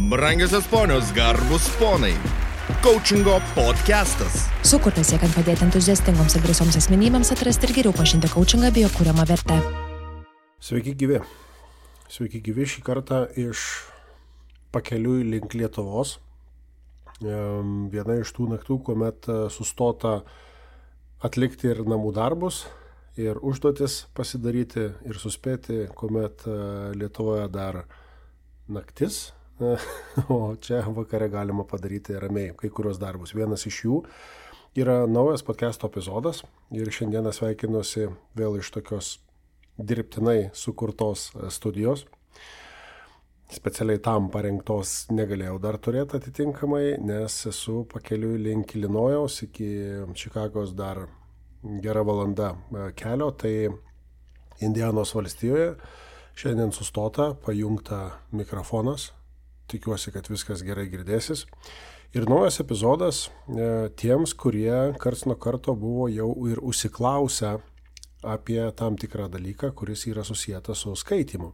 Brangiosios ponios, garbus ponai. Coachingo podcastas. Sukurtas siekiant padėti entuziastingoms ir drąsioms asmenybėms atrasti ir geriau pažinti coachingą bei jo kuriamą vertę. Sveiki gyvi. Sveiki gyvi šį kartą iš pakeliui link Lietuvos. Viena iš tų naktų, kuomet sustota atlikti ir namų darbus, ir užduotis pasidaryti, ir suspėti, kuomet Lietuvoje dar naktis, o čia vakare galima padaryti ramiai kai kurios darbus. Vienas iš jų yra naujas podcast'o epizodas ir šiandieną sveikinuosi vėl iš tokios dirbtinai sukurtos studijos. Specialiai tam parengtos negalėjau dar turėti atitinkamai, nes esu pakeliui link Ilinojaus, iki Čikagos dar gera valanda kelio, tai Indianos valstijoje. Šiandien sustota, pajungta mikrofonas, tikiuosi, kad viskas gerai girdėsis. Ir naujas epizodas tiems, kurie karts nuo karto buvo jau ir užsiklausę apie tam tikrą dalyką, kuris yra susijęs su skaitymu.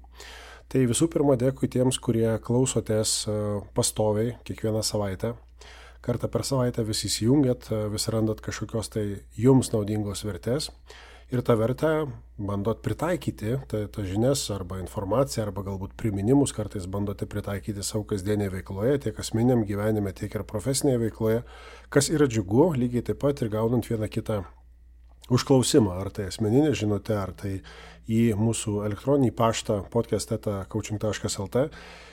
Tai visų pirma, dėkui tiems, kurie klausotės pastoviai kiekvieną savaitę. Kartą per savaitę vis įsijungiat, vis randat kažkokios tai jums naudingos vertės. Ir tą vertę bandot pritaikyti, tą žinias arba informaciją, arba galbūt priminimus kartais bandote pritaikyti savo kasdienėje veikloje, tiek asmeniniam gyvenime, tiek ir profesinėje veikloje, kas yra džiugu, lygiai taip pat ir gaunant vieną kitą užklausimą, ar tai asmeninė žinutė, ar tai į mūsų elektroninį paštą podcast@coaching.lt.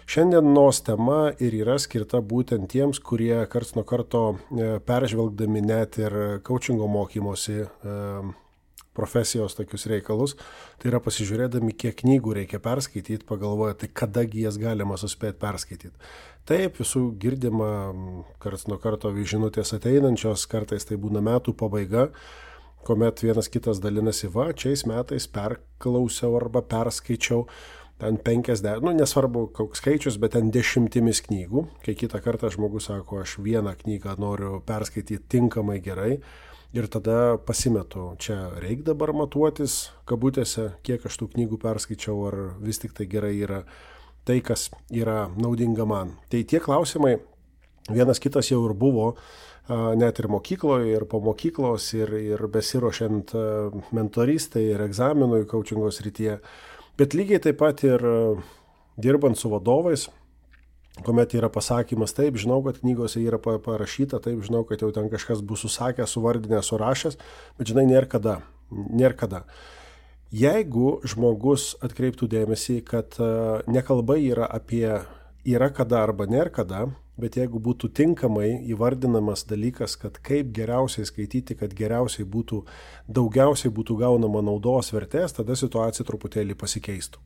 Šiandienos tema ir yra skirta būtent tiems, kurie karts nuo karto peržvelgdami net ir coachingo mokymosi profesijos tokius reikalus, tai yra pasižiūrėdami, kiek knygų reikia perskaityti, pagalvoja, tai kadagi jas galima suspėti perskaityti. Taip, visų girdima karts nuo karto žinutės ateinančios, kartais tai būna metų pabaiga, kuomet vienas kitas dalinasi, šiais metais perklausiau arba perskaičiau ten 50, nesvarbu koks skaičius, bet ten 10 knygų, kai kitą kartą žmogus sako, aš vieną knygą noriu perskaityti tinkamai gerai, ir tada pasimetu, čia reikia dabar matuotis kabutėse, kiek aš tų knygų perskaičiau, ar vis tik tai gerai yra tai, kas yra naudinga man. Tai tie klausimai, vienas kitas jau ir buvo, net ir mokykloje, ir po mokyklos, ir besiruošiant mentoristai, ir egzaminui coachingo srityje, bet lygiai taip pat ir dirbant su vadovais, kuomet yra pasakymas, taip, žinau, kad knygose yra parašyta, taip, žinau, kad jau ten kažkas bus susakęs, suvardinęs, surašęs, bet žinai, nėra kada. Jeigu žmogus atkreiptų dėmesį, kad nekalba yra apie yra kada arba nėra kada, bet jeigu būtų tinkamai įvardinamas dalykas, kad kaip geriausiai skaityti, kad daugiausiai būtų gaunama naudos vertės, tada situacija truputėlį pasikeistų.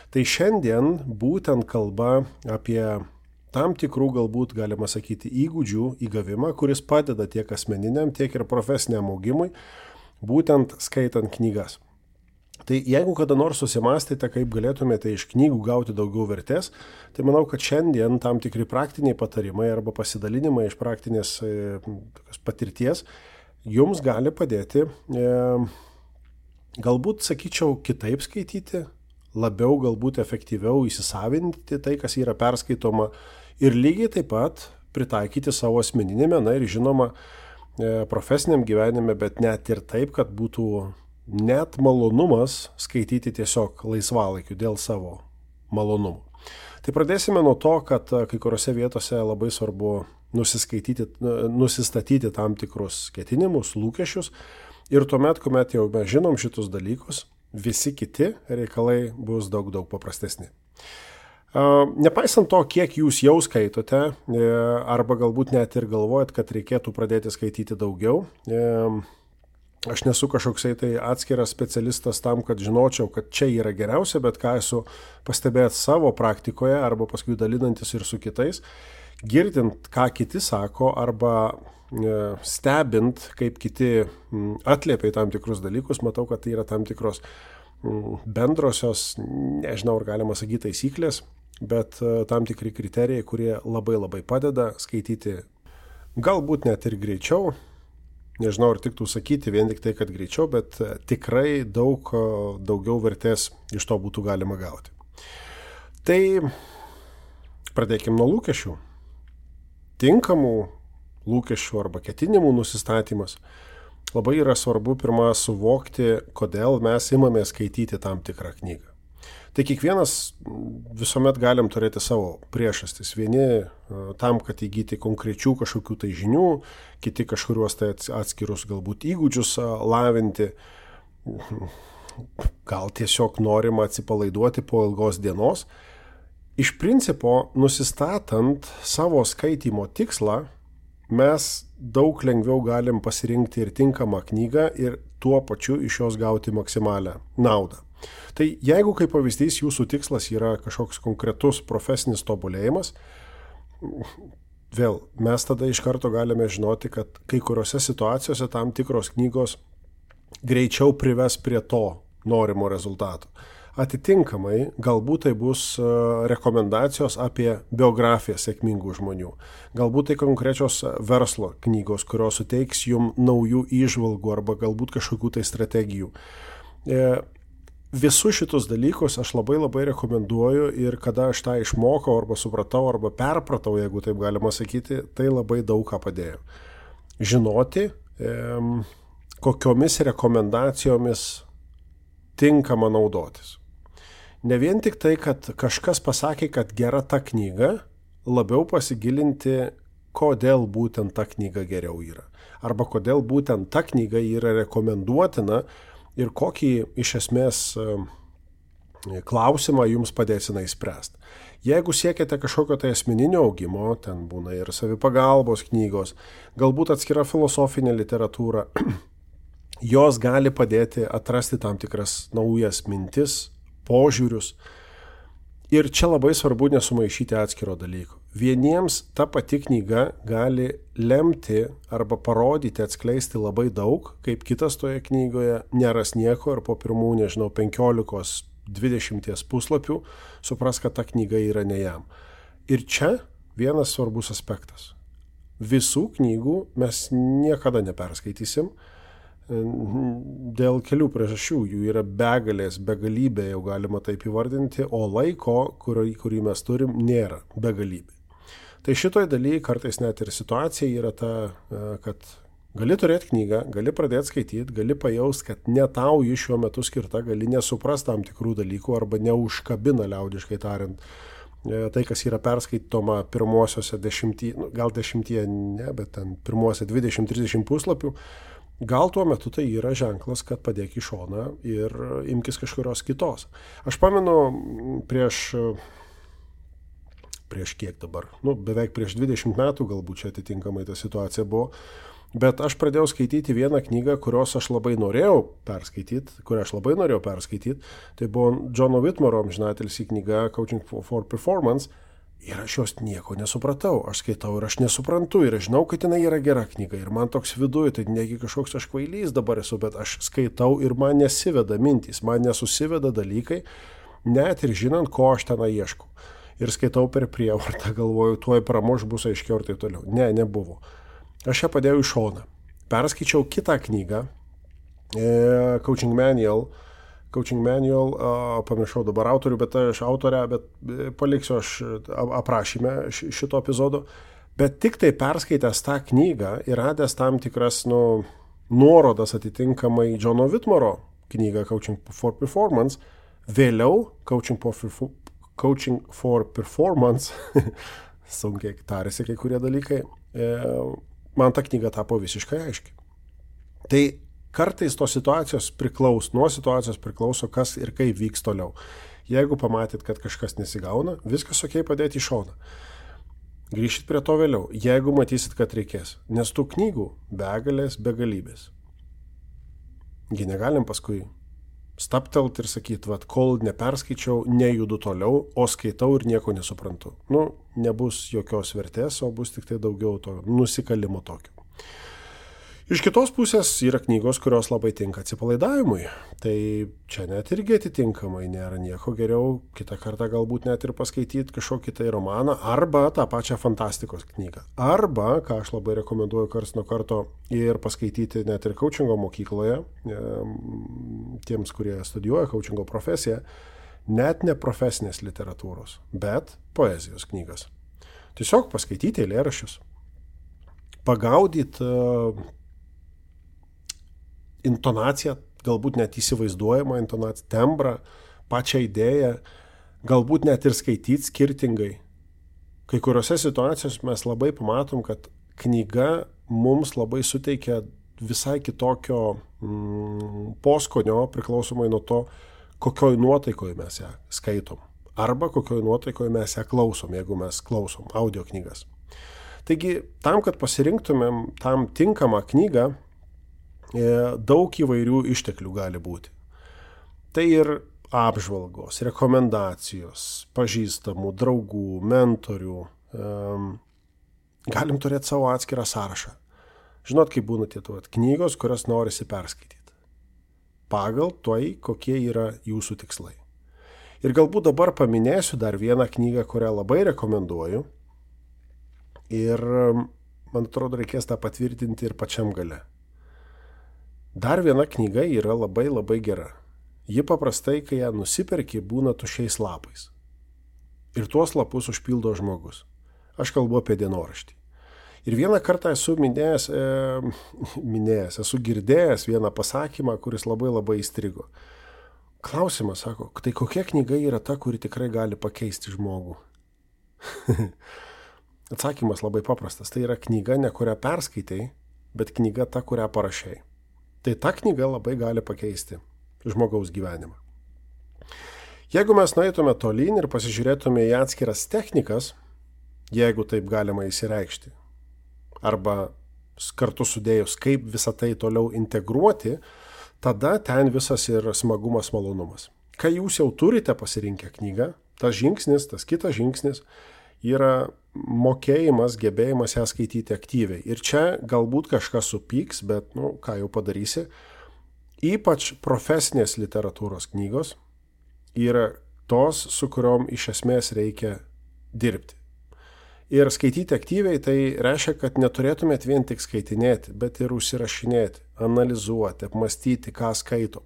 Tai šiandien būtent kalba apie tam tikrų, galbūt galima sakyti, įgūdžių įgavimą, kuris padeda tiek asmeniniam, tiek ir profesiniam augimui, būtent skaitant knygas. Tai jeigu kada nors susimastėte, kaip galėtumėte iš knygų gauti daugiau vertės, tai manau, kad šiandien tam tikri praktiniai patarimai arba pasidalinimai iš praktinės patirties jums gali padėti, galbūt, sakyčiau, kitaip skaityti, labiau, galbūt efektyviau įsisavinti tai, kas yra perskaitoma ir lygiai taip pat pritaikyti savo asmeninėme, ir žinoma, profesiniam gyvenime, bet net ir taip, kad būtų net malonumas skaityti tiesiog laisvalaikiu dėl savo malonumų. Tai pradėsime nuo to, kad kai kuriuose vietose labai svarbu nusistatyti tam tikrus ketinimus, lūkesčius ir tuomet, kuomet jau mes žinom šitus dalykus, visi kiti reikalai bus daug paprastesni. Nepaisant to, kiek jūs jau skaitote, arba galbūt net ir galvojat, kad reikėtų pradėti skaityti daugiau, aš nesu kažkoksai tai atskiras specialistas tam, kad žinočiau, kad čia yra geriausia, bet ką esu pastebėjęs savo praktikoje arba paskui dalinantis ir su kitais, girdint, ką kiti sako arba stebint, kaip kiti atliepia į tam tikrus dalykus, matau, kad tai yra tam tikros bendrosios, nežinau, ar galima sakyti taisyklės, bet tam tikri kriterijai, kurie labai padeda skaityti galbūt net ir greičiau. Nežinau, ar tiktų sakyti vien tik tai, kad greičiau, bet tikrai daugiau vertės iš to būtų galima gauti. Tai Pradėkime nuo lūkesčių. Tinkamų lūkesčių arba ketinimų nusistatymas. Labai yra svarbu pirmą suvokti, kodėl mes imame skaityti tam tikrą knygą. Tai kiekvienas visuomet galim turėti savo priešastis. Vieni tam, kad įgyti konkrečių kažkokių tai žinių, kiti kažkuriuos tai atskirus galbūt įgūdžius lavinti. Gal tiesiog norima atsipalaiduoti po ilgos dienos. Iš principo, nusistatant savo skaitymo tikslą, mes daug lengviau galim pasirinkti ir tinkamą knygą ir tuo pačiu iš jos gauti maksimalią naudą. Tai jeigu kaip pavyzdys jūsų tikslas yra kažkoks konkretus profesinis tobulėjimas, vėl mes tada iš karto galime žinoti, kad kai kuriuose situacijose tam tikros knygos greičiau prives prie to norimo rezultato. Atitinkamai, galbūt tai bus rekomendacijos apie biografiją sėkmingų žmonių. Galbūt tai konkrečios verslo knygos, kurios suteiks jums naujų įžvalgų arba galbūt kažkokių tai strategijų. Visus šitus dalykus aš labai rekomenduoju ir kada aš tą išmokau arba supratau arba perpratau, jeigu taip galima sakyti, tai labai daug ką padėjo. Žinoti, kokiomis rekomendacijomis tinkama naudotis. Ne vien tik tai, kad kažkas pasakė, kad gera ta knyga, labiau pasigilinti, kodėl būtent ta knyga geriau yra. Arba kodėl būtent ta knyga yra rekomenduotina ir kokį iš esmės klausimą jums padės jinai spręsti. Jeigu siekiate kažkokio tai asmeninio augimo, ten būna ir savipagalbos knygos, galbūt atskira filosofinė literatūra, jos gali padėti atrasti tam tikras naujas mintis, požiūrius. Ir čia labai svarbu nesumaišyti atskiro dalyko. Vieniems ta pati knyga gali lemti arba parodyti, atskleisti labai daug, kaip kitas toje knygoje neras nieko ir po pirmų, 15-20 puslapių supras, kad ta knyga yra ne jam. Ir čia vienas svarbus aspektas. Visų knygų mes niekada neperskaitysim dėl kelių priežasčių. Jų yra begalybė, jau galima taip įvardinti, o laiko, kurį mes turim, nėra begalybė. Tai šitoj dalyje kartais net ir situacija yra ta, kad gali turėti knygą, gali pradėti skaityti, gali pajaust, kad ne tau ji šiuo metu skirta, gali nesuprast tam tikrų dalykų arba neužkabina, liaudiškai tariant, tai, kas yra perskaitoma pirmosiose 10, gal 10 ne, bet ten pirmosiose 20-30 puslapių. Gal tuo metu tai yra ženklas, kad padėk į šoną ir imkis kažkurios kitos. Aš pamenu prieš kiek dabar, beveik prieš 20 metų galbūt čia atitinkamai ta situacija buvo, bet aš pradėjau skaityti vieną knygą, kurią aš labai norėjau perskaityti, tai buvo Johno Whitmoro amžinatilsį knyga Coaching for Performance. Ir aš jos nieko nesupratau, aš skaitau ir aš nesuprantu ir aš žinau, kad jinai yra gera knyga ir man toks viduje, tai negi kažkoks aš kvailys dabar esu, bet aš skaitau ir man nesiveda mintys, man nesusiveda dalykai, net ir žinant, ko aš ten ieškau. Ir skaitau per prievartą, galvoju, tuoj pramuš bus aiškiau ir taip toliau. Ne, nebuvo. Aš ją padėjau į šoną. Perskaičiau kitą knygą, Coaching Manual, pamiršau dabar autorių, bet paliksiu aš aprašyme šito epizodo. Bet tik tai perskaitęs tą knygą ir radęs tam tikras nuorodas atitinkamai Johno Whitmoro knygą Coaching for Performance, vėliau Coaching for Performance, sunkiai tarėsi kai kurie dalykai, man ta knyga tapo visiškai aiški. Tai kartais nuo situacijos priklauso, kas ir kaip vyks toliau. Jeigu pamatyt, kad kažkas nesigauna, viskas okei, padėti į šoną. Grįšit prie to vėliau, jeigu matysit, kad reikės. Nes tų knygų begalybės. Gi negalim paskui staptelt ir sakyti, kol neperskaičiau, nejudu toliau, o skaitau ir nieko nesuprantu. Nebus jokios vertės, o bus tik tai daugiau to nusikalimo tokio. Iš kitos pusės yra knygos, kurios labai tinka atsipalaidavimui. Tai čia net irgi atitinkamai nėra nieko geriau, kitą kartą galbūt net ir paskaityti kažkokį tai romaną, arba tą pačią fantastikos knygą. Arba, ką aš labai rekomenduoju karts nuo karto, ir paskaityti net ir coachingo mokykloje, tiems, kurie studijuoja coachingo profesiją, net ne profesinės literatūros, bet poezijos knygas. Tiesiog paskaityti eilėraščius. Pagaudyti intonaciją, galbūt net įsivaizduojamą intonaciją, tembrą, pačią idėją, galbūt net ir skaityti skirtingai. Kai kuriuose situacijose mes labai pamatom, kad knyga mums labai suteikia visai kitokio poskonio, priklausomai nuo to, kokioj nuotaikoje mes ją skaitom. Arba kokioj nuotaikoje mes ją klausom, jeigu mes klausom audio knygas. Taigi, tam, kad pasirinktumėm tam tinkamą knygą, daug įvairių išteklių gali būti. Tai ir apžvalgos, rekomendacijos, pažįstamų, draugų, mentorių. Galim turėti savo atskirą sąrašą. Žinot, kaip būna tie knygos, kurias norisi perskaityti. Pagal tai, kokie yra jūsų tikslai. Ir galbūt dabar paminėsiu dar vieną knygą, kurią labai rekomenduoju. Ir, man atrodo, reikės tą patvirtinti ir pačiam gale. Dar viena knyga yra labai labai gera. Ji paprastai, kai ją nusiperki, būna tuščiais lapais. Ir tuos lapus užpildo žmogus. Aš kalbu apie dienoraštį. Ir vieną kartą esu esu girdėjęs vieną pasakymą, kuris labai labai įstrigo. Klausimas, sako, tai kokia knyga yra ta, kuri tikrai gali pakeisti žmogų? Atsakymas labai paprastas. Tai yra knyga, ne kurią perskaitai, bet knyga ta, kurią parašei. Tai ta knyga labai gali pakeisti žmogaus gyvenimą. Jeigu mes nueitume tolyn ir pasižiūrėtume į atskiras technikas, jeigu taip galima įsireikšti, arba kartu sudėjus, kaip visą tai toliau integruoti, tada ten visas ir smagumas, malonumas. Kai jūs jau turite pasirinkę knygą, tas žingsnis, tas kitas žingsnis yra mokėjimas, gebėjimas ją skaityti aktyviai. Ir čia galbūt kažkas supyks, bet, ką jau padarysi. Ypač profesinės literatūros knygos yra tos, su kuriom iš esmės reikia dirbti. Ir skaityti aktyviai tai reiškia, kad neturėtumėt vien tik skaitinėti, bet ir užsirašinėti, analizuoti, apmastyti, ką skaitom.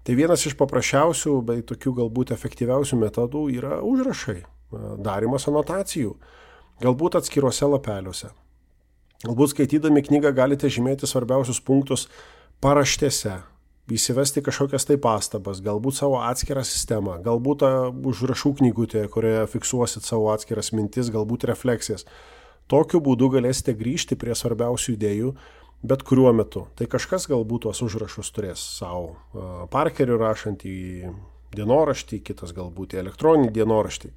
Tai vienas iš paprasčiausių, bei tokių galbūt efektyviausių metodų yra užrašai, darymas anotacijų, galbūt atskiruose lapeliuose. Galbūt skaitydami knygą galite žymėti svarbiausius punktus paraštėse, įsivesti kažkokias tai pastabas, galbūt savo atskirą sistemą, galbūt užrašų knygutėje, kurioje fiksuosit savo atskiras mintis, galbūt refleksijas. Tokiu būdu galėsite grįžti prie svarbiausių idėjų bet kuriuo metu. Tai kažkas galbūt tuos užrašus turės savo parkeriu rašant į dienoraštį, kitas galbūt į elektroninį dienoraštį.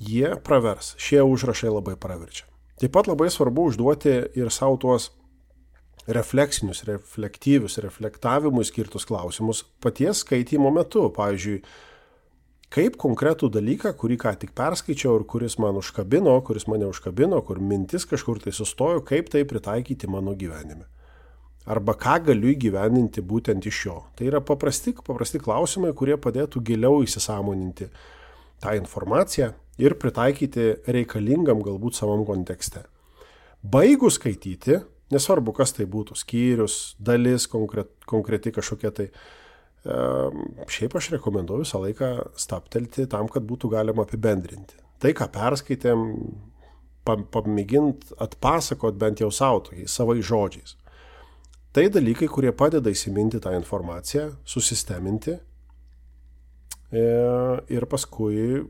Jie pravers, šie užrašai labai praverčia. Taip pat labai svarbu užduoti ir savo tuos refleksinius, reflektyvius, reflektavimui skirtus klausimus paties skaitymo metu. Pavyzdžiui, kaip konkretų dalyką, kurį ką tik perskaičiau ir kuris mane užkabino, kur mintis kažkur tai sustojo, kaip tai pritaikyti mano gyvenime. Arba ką galiu įgyvendinti būtent iš jo. Tai yra paprasti klausimai, kurie padėtų giliau įsisąmoninti tą informaciją ir pritaikyti reikalingam galbūt savam kontekste. Baigus skaityti, nesvarbu, kas tai būtų, skyrius, dalis, konkreti kažkokia tai. Šiaip aš rekomenduoju visą laiką stabtelti tam, kad būtų galima apibendrinti. Tai, ką perskaitėm, pamėgint atpasakot bent jau savo tokiais savais žodžiais. Tai dalykai, kurie padeda įsiminti tą informaciją, susisteminti ir paskui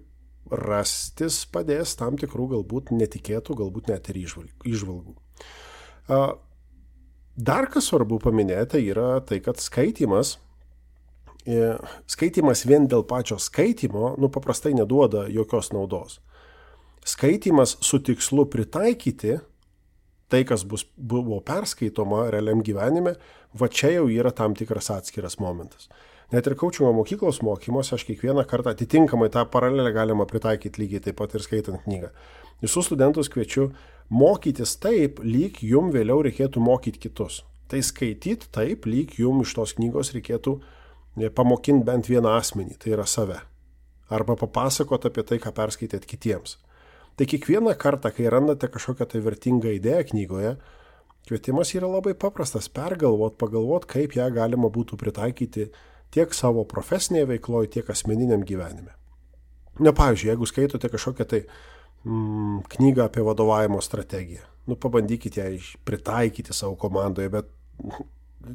rastis padės tam tikrų galbūt netikėtų, galbūt net ir įžvalgų. Dar kas svarbu paminėti yra tai, kad skaitymas vien dėl pačio skaitymo, paprastai neduoda jokios naudos. Skaitymas su tikslu pritaikyti tai, kas buvo perskaitoma realiam gyvenime, va čia jau yra tam tikras atskiras momentas. Net ir kaučingo mokyklos mokymuose aš kiekvieną kartą atitinkamai tą paralelę galima pritaikyti lygiai taip pat ir skaitant knygą. Visus studentus kviečiu mokytis taip, lyg jum vėliau reikėtų mokyti kitus. Tai skaityti taip, lyg jum iš tos knygos reikėtų pamokinti bent vieną asmenį, tai yra save. Arba papasakoti apie tai, ką perskaitėt kitiems. Tai kiekvieną kartą, kai randate kažkokią tai vertingą idėją knygoje, kvietimas yra labai paprastas – pagalvot, kaip ją galima būtų pritaikyti tiek savo profesinėje veikloje, tiek asmeniniam gyvenime. Pavyzdžiui, jeigu skaitote kažkokią tai knygą apie vadovavimo strategiją. Pabandykite ją pritaikyti savo komandoje, bet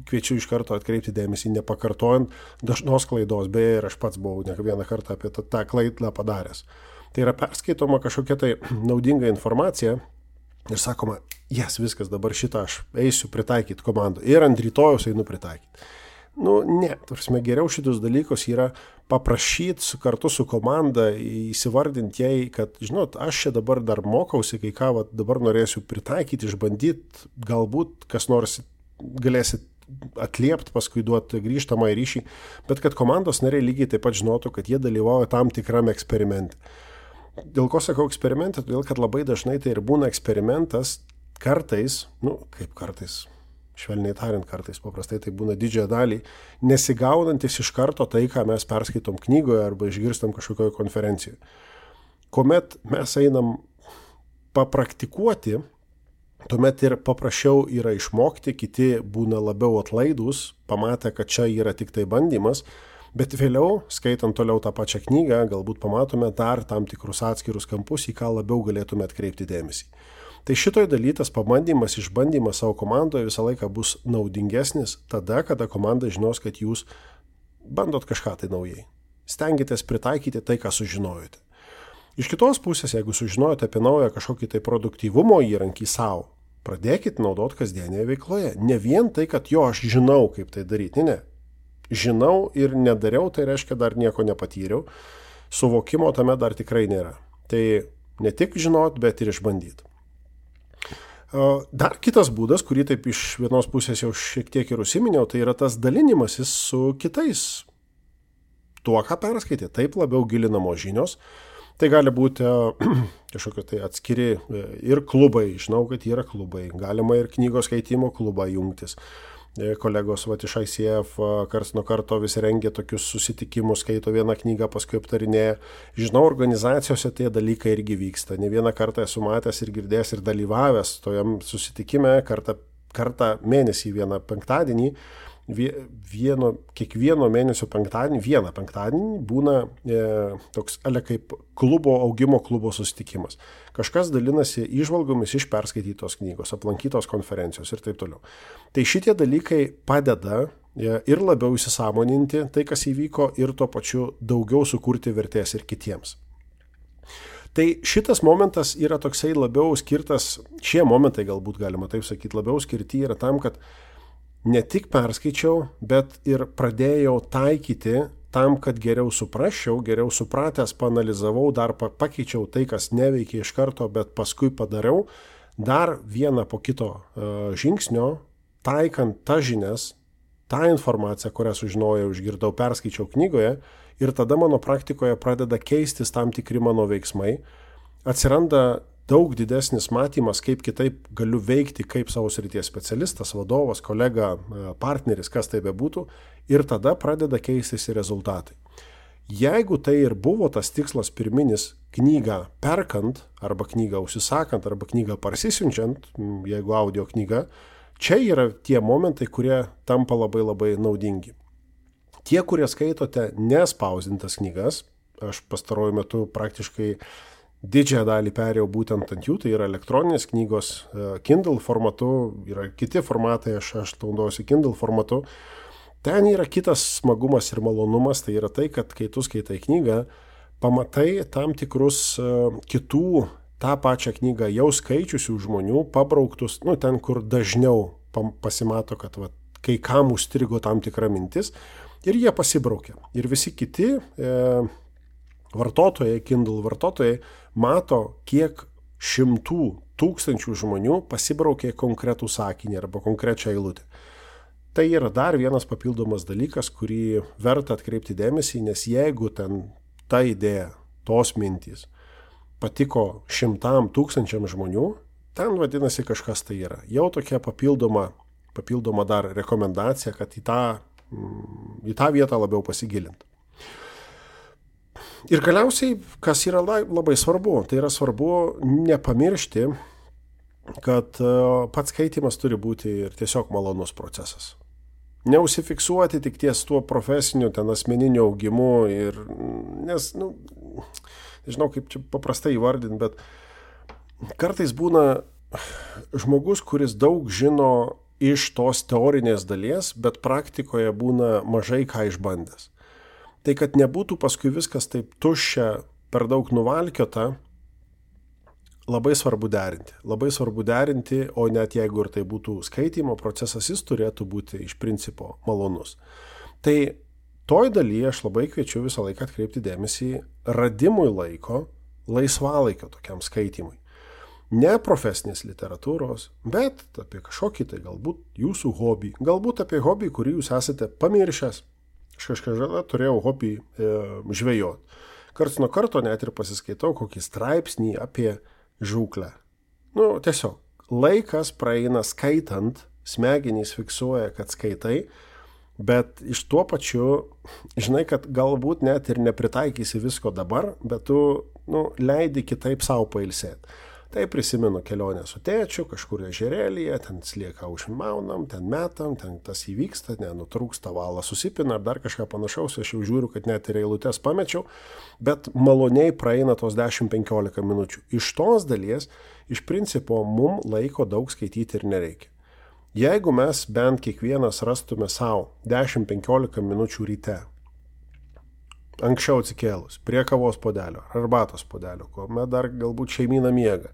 kviečiu iš karto atkreipti dėmesį, nepakartojant dažnos klaidos, beje, ir aš pats buvau ne vieną kartą apie tą klaidą padaręs. Tai yra perskaitoma kažkokia tai naudinga informacija ir sakoma, viskas, dabar šitą aš eisiu pritaikyti komandą ir ant rytojaus einu pritaikyti. Ne, geriau šitus dalykus yra paprašyti kartu su komanda, įsivardinti jai, kad, žinot, aš čia dabar dar mokausi, kai ką dabar norėsiu pritaikyti, išbandyti, galbūt kas nors galėsit atliepti, paskui duoti grįžtamą į ryšį, bet kad komandos nariai lygiai taip pat žinotų, kad jie dalyvauja tam tikram eksperimente. Dėl ko sakau eksperimente? Todėl, kad labai dažnai tai ir būna eksperimentas kartais, kaip kartais, švelniai tariant kartais, paprastai tai būna didžiąją dalį, nesigaudantis iš karto tai, ką mes perskaitom knygoje arba išgirstam kažkokioje konferencijoje. Kuomet mes einam papraktikuoti, tuomet ir paprasčiau yra išmokti, kiti būna labiau atlaidūs, pamatę, kad čia yra tik tai bandymas, bet vėliau, skaitant toliau tą pačią knygą, galbūt pamatome dar tam tikrus atskirus kampus, į ką labiau galėtume atkreipti dėmesį. Tai šitoj daly tas pabandymas, išbandymas savo komandoje visą laiką bus naudingesnis tada, kada komanda žinos, kad jūs bandot kažką tai naujai. Stengiatės pritaikyti tai, ką sužinojote. Iš kitos pusės, jeigu sužinojote apie naują kažkokį tai produktyvumo įrankį savo, pradėkit naudoti kasdienėje veikloje. Ne vien tai, kad aš žinau, kaip tai daryti. Ne. Žinau ir nedariau, tai reiškia dar nieko nepatyriau. Suvokimo tame dar tikrai nėra. Tai ne tik žinot, bet ir išbandyti. Dar kitas būdas, kurį taip iš vienos pusės jau šiek tiek ir užsiminiau, tai yra tas dalinimasis su kitais. Tuo, ką perskaitė, taip labiau gilinamos žinios. Tai gali būti kažkokie tai atskiri ir klubai, žinau, kad yra klubai. Galima ir knygos skaitimo klubą jungtis. Kolegos iš ICF karts nuo karto vis rengia tokius susitikimus, skaito vieną knygą, paskui aptarinėja. Žinau, organizacijose tie dalykai irgi vyksta. Ne vieną kartą esu matęs ir girdėjęs ir dalyvavęs tojam susitikime, kartą mėnesį, vieną penktadienį, kiekvieno mėnesio vieną penktadienį būna toks kaip augimo klubo susitikimas. Kažkas dalinasi įžvalgomis iš perskaitytos knygos, aplankytos konferencijos ir taip toliau. Tai šitie dalykai padeda ir labiau įsisąmoninti tai, kas įvyko, ir tuo pačiu daugiau sukurti vertės ir kitiems. Tai šitas momentas yra toksai labiau skirtas, šie momentai galbūt galima taip sakyti, labiau skirti yra tam, kad ne tik perskaičiau, bet ir pradėjau taikyti tam, kad geriau suprasčiau, geriau supratęs, paanalizavau, dar pakeičiau tai, kas neveikia iš karto, bet paskui padariau dar vieną po kito žingsnio, taikant tas žinias, tą informaciją, kurią sužinojau, išgirdau, perskaičiau knygoje, ir tada mano praktikoje pradeda keistis tam tikri mano veiksmai, atsiranda daug didesnis matymas, kaip kitaip galiu veikti kaip savo srities specialistas, vadovas, kolega, partneris, kas tai bebūtų, ir tada pradeda keistis ir rezultatai. Jeigu tai ir buvo tas tikslas pirminis knygą perkant, arba knygą užsisakant, arba knygą parsisiunčiant, jeigu audio knyga, čia yra tie momentai, kurie tampa labai labai naudingi. Tie, kurie skaitote nespausdintas knygas, aš pastaruoju metu praktiškai didžiąją dalį perėjau būtent ant jų, tai yra elektroninės knygos Kindle formatu, yra kiti formatai, aš naudojuosi Kindle formatu. Ten yra kitas smagumas ir malonumas, tai yra tai, kad kai tu skaitai knygą, pamatai tam tikrus kitų tą pačią knygą jau skaičiusių žmonių, pabrauktus, ten, kur dažniau pasimato, kad kai kam užstrigo tam tikra mintis, ir jie pasibraukia. Ir visi kiti vartotojai, Kindle vartotojai, mato, kiek šimtų tūkstančių žmonių pasibraukė konkretų sakinį arba konkrečią eilutę. Tai yra dar vienas papildomas dalykas, kurį verta atkreipti dėmesį, nes jeigu ten ta idėja, tos mintys patiko 100 000 žmonių, ten vadinasi kažkas tai yra. Jau tokia papildoma dar rekomendacija, kad į tą vietą labiau pasigilinti. Ir galiausiai, kas yra labai svarbu, tai yra svarbu nepamiršti, kad pats skaitimas turi būti ir tiesiog malonus procesas. Neužsifiksuoti tik ties tuo profesiniu, asmeniniu augimu, nes, nežinau kaip čia paprastai įvardinti, bet kartais būna žmogus, kuris daug žino iš tos teorinės dalies, bet praktikoje būna mažai ką išbandęs. Tai kad nebūtų paskui viskas taip tuščia, per daug nuvalkiota, labai svarbu derinti. Labai svarbu derinti, o net jeigu ir tai būtų skaitymo procesas, jis turėtų būti iš principo malonus. Tai toj dalyje aš labai kviečiu visą laiką atkreipti dėmesį radimui laiko, laisvalaikio tokiam skaitimui. Ne profesinės literatūros, bet apie kažkokį tai galbūt jūsų hobį, galbūt apie hobį, kurį jūs esate pamiršęs. Aš kažkada turėjau hobį žvejoti. Karts nuo karto net ir pasiskaitau kokį straipsnį apie žūklę. Tiesiog laikas praeina skaitant, smegenys fiksuoja, kad skaitai, bet iš tuo pačiu, žinai, kad galbūt net ir nepritaikysi visko dabar, bet tu leidi kitaip savo pailsėti. Tai prisimenu kelionę su tėčiu, kažkur ežerėlyje, ten slieką užmaunam, ten metam, ten tas įvyksta, nenutrūksta, valas susipina ar dar kažką panašaus, aš jau žiūriu, kad net ir eilutes pamečiau, bet maloniai praeina tos 10-15 minučių. Iš tos dalies, iš principo, mums laiko daug skaityti ir nereikia. Jeigu mes bent kiekvienas rastume savo 10-15 minučių ryte, anksčiau atsikėlus, prie kavos puodelio, arbatos puodelio, kuomet dar galbūt šeimyna miega,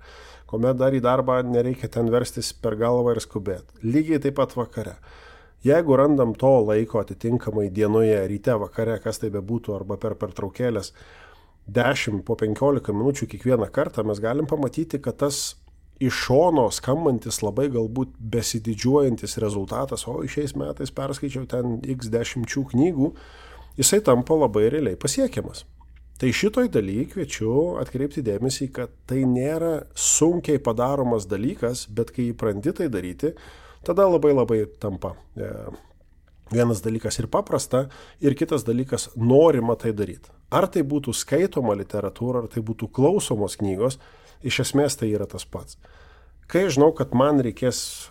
kuomet dar į darbą nereikia ten verstis per galvą ir skubėti. Lygiai taip pat vakare. Jeigu randam to laiko atitinkamai dienoje, ryte, vakare, kas tai bebūtų, arba per pertraukėlės 10-15 minučių kiekvieną kartą, mes galim pamatyti, kad tas iš šono skambantis labai galbūt besididžiuojantis rezultatas, o šiais metais perskaičiau ten x 10 knygų, jisai tampa labai realiai pasiekiamas. Tai šitoj dalyje kviečiu atkreipti dėmesį, kad tai nėra sunkiai padaromas dalykas, bet kai įpranti tai daryti, tada labai tampa. Vienas dalykas ir paprasta, ir kitas dalykas norima tai daryti. Ar tai būtų skaitoma literatūra, ar tai būtų klausomos knygos, iš esmės tai yra tas pats. Kai žinau, kad man reikės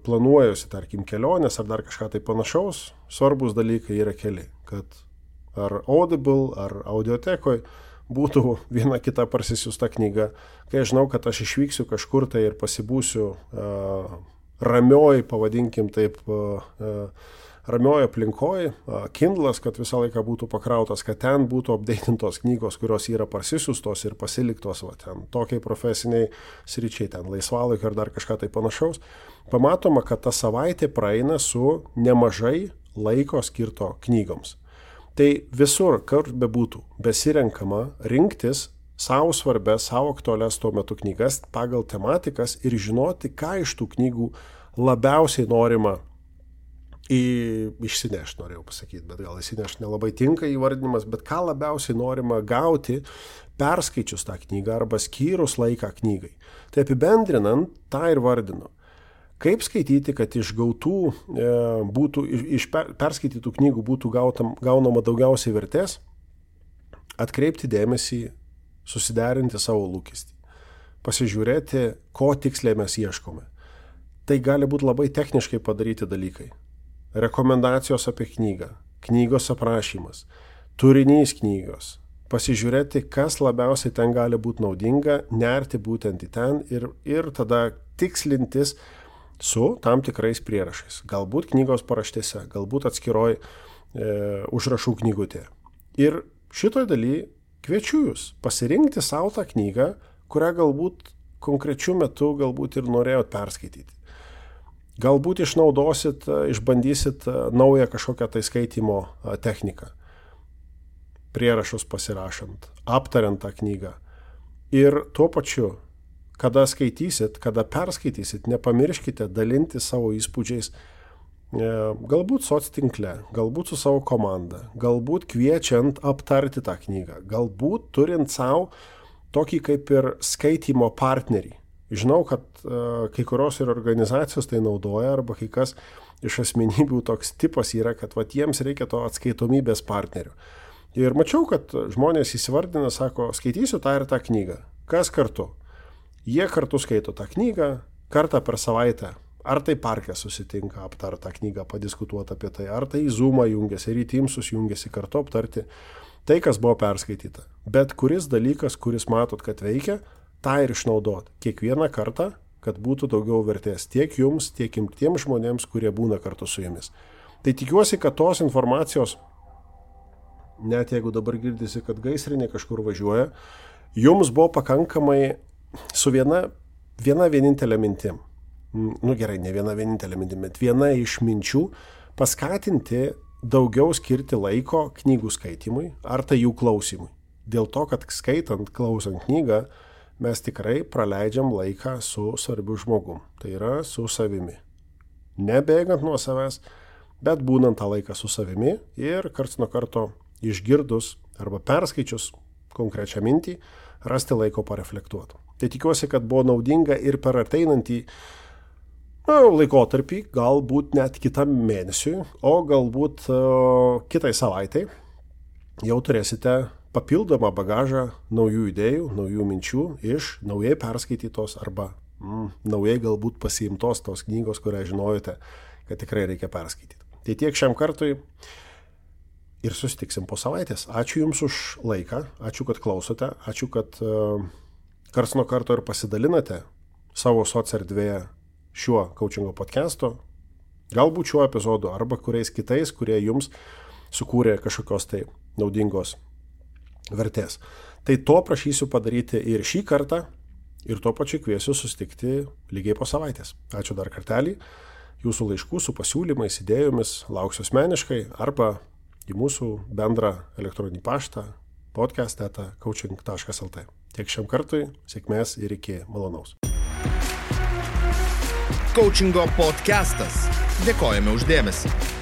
planuojusi, tarkim, kelionės ar dar kažką tai panašaus, svarbus dalykai yra keli, kad ar Audible, ar audiotekoj būtų viena kita parsisiųsta knyga. Kai žinau, kad aš išvyksiu kažkur tai ir pasibūsiu ramioj, pavadinkim taip, ramioj aplinkoj, Kindlas, kad visą laiką būtų pakrautas, kad ten būtų updatintos knygos, kurios yra parsisiųstos ir pasiliktos ten tokiai profesiniai sričiai, ten laisvalaikio ar dar kažką tai panašaus. Pamatoma, kad ta savaitė praeina su nemažai laiko skirto knygoms. Tai visur, kur bebūtų, besirenkama rinktis savo svarbės, savo aktualias tuo metu knygas pagal tematikas ir žinoti, ką iš tų knygų labiausiai norima išsinešti, norėjau pasakyti, bet gal išsinešti nelabai tinka įvardinimas, bet ką labiausiai norima gauti perskaičius tą knygą arba skyrus laiką knygai. Tai apibendrinant, tą ir vardinu. Kaip skaityti, kad iš perskaitytų knygų būtų gaunama daugiausiai vertės? Atkreipti dėmesį, susiderinti savo lūkestį. Pasižiūrėti, ko tiksliai mes ieškome. Tai gali būti labai techniškai padaryti dalykai. Rekomendacijos apie knygą, knygos aprašymas, turinys knygos. Pasižiūrėti, kas labiausiai ten gali būti naudinga, nerti būtent į ten ir tada tikslintis su tam tikrais prierašais. Galbūt knygos paraštėse, galbūt atskiroj užrašų knygutėje. Ir šitoj daly kviečiu jūs pasirinkti savo tą knygą, kurią galbūt konkrečiu metu galbūt ir norėjot perskaityti. Galbūt išbandysit naują kažkokią tai skaitimo techniką. Prierašus pasirašant, aptariant tą knygą. Ir tuo pačiu, kada skaitysit, kada perskaitysit, nepamirškite dalinti savo įspūdžiais, galbūt soctinkle, galbūt su savo komanda, galbūt kviečiant aptarti tą knygą, galbūt turint savo tokį kaip ir skaitimo partnerį. Žinau, kad kai kurios ir organizacijos tai naudoja, arba kai kas iš asmenybių toks tipas yra, kad jiems reikia to atskaitomybės partnerio. Ir mačiau, kad žmonės įsivardina, sako, skaitysiu tą ir tą knygą. Kas kartu? Jie kartu skaito tą knygą, kartą per savaitę. Ar tai parke susitinka aptarti tą knygą, padiskutuoti apie tai, ar tai į Zoomą jungiasi, ir į Teamsus jungiasi kartu aptarti tai, kas buvo perskaityta. Bet kuris dalykas, kuris matot, kad veikia, tą ir išnaudoti kiekvieną kartą, kad būtų daugiau vertės tiek jums, tiek tiems žmonėms, kurie būna kartu su jumis. Tai tikiuosi, kad tos informacijos, net jeigu dabar girdisi, kad gaisrinė kažkur važiuoja, jums buvo pakankamai su viena vienintelė mintim. Gerai, ne viena vienintelė mintim, bet viena iš minčių paskatinti daugiau skirti laiko knygų skaitymui ar tai jų klausimui. Dėl to, kad skaitant, klausant knygą, mes tikrai praleidžiam laiką su svarbiu žmogum. Tai yra su savimi. Nebėgant nuo savęs, bet būnant tą laiką su savimi ir karts nuo karto išgirdus arba perskaičius konkrečią mintį, rasti laiko pareflektuoti. Tai tikiuosi, kad buvo naudinga ir per ateinantį laikotarpį, galbūt net kitam mėnesiui, o galbūt kitai savaitai jau turėsite papildomą bagažą naujų idėjų, naujų minčių iš naujai perskaitytos arba naujai galbūt pasiimtos tos knygos, kurią žinojote, kad tikrai reikia perskaityti. Tai tiek šiam kartui ir susitiksim po savaitės. Ačiū Jums už laiką, ačiū, kad klausote, ačiū, kad karts nuo karto ir pasidalinate savo socierdvėje šiuo coachingo podcastu, galbūt šiuo epizodu arba kuriais kitais, kurie Jums sukūrė kažkokios tai naudingos vertės. Tai to prašysiu padaryti ir šį kartą ir tuo pačiu kviesiu susitikti lygiai po savaitės. Ačiū dar kartelį. Jūsų laiškų su pasiūlymais, idėjomis lauksiu asmeniškai arba į mūsų bendrą elektroninį paštą podcast@coaching.lt. Tiek šiam kartui, sėkmės ir iki malonaus. Coachingo podcastas. Dėkojame už dėmesį.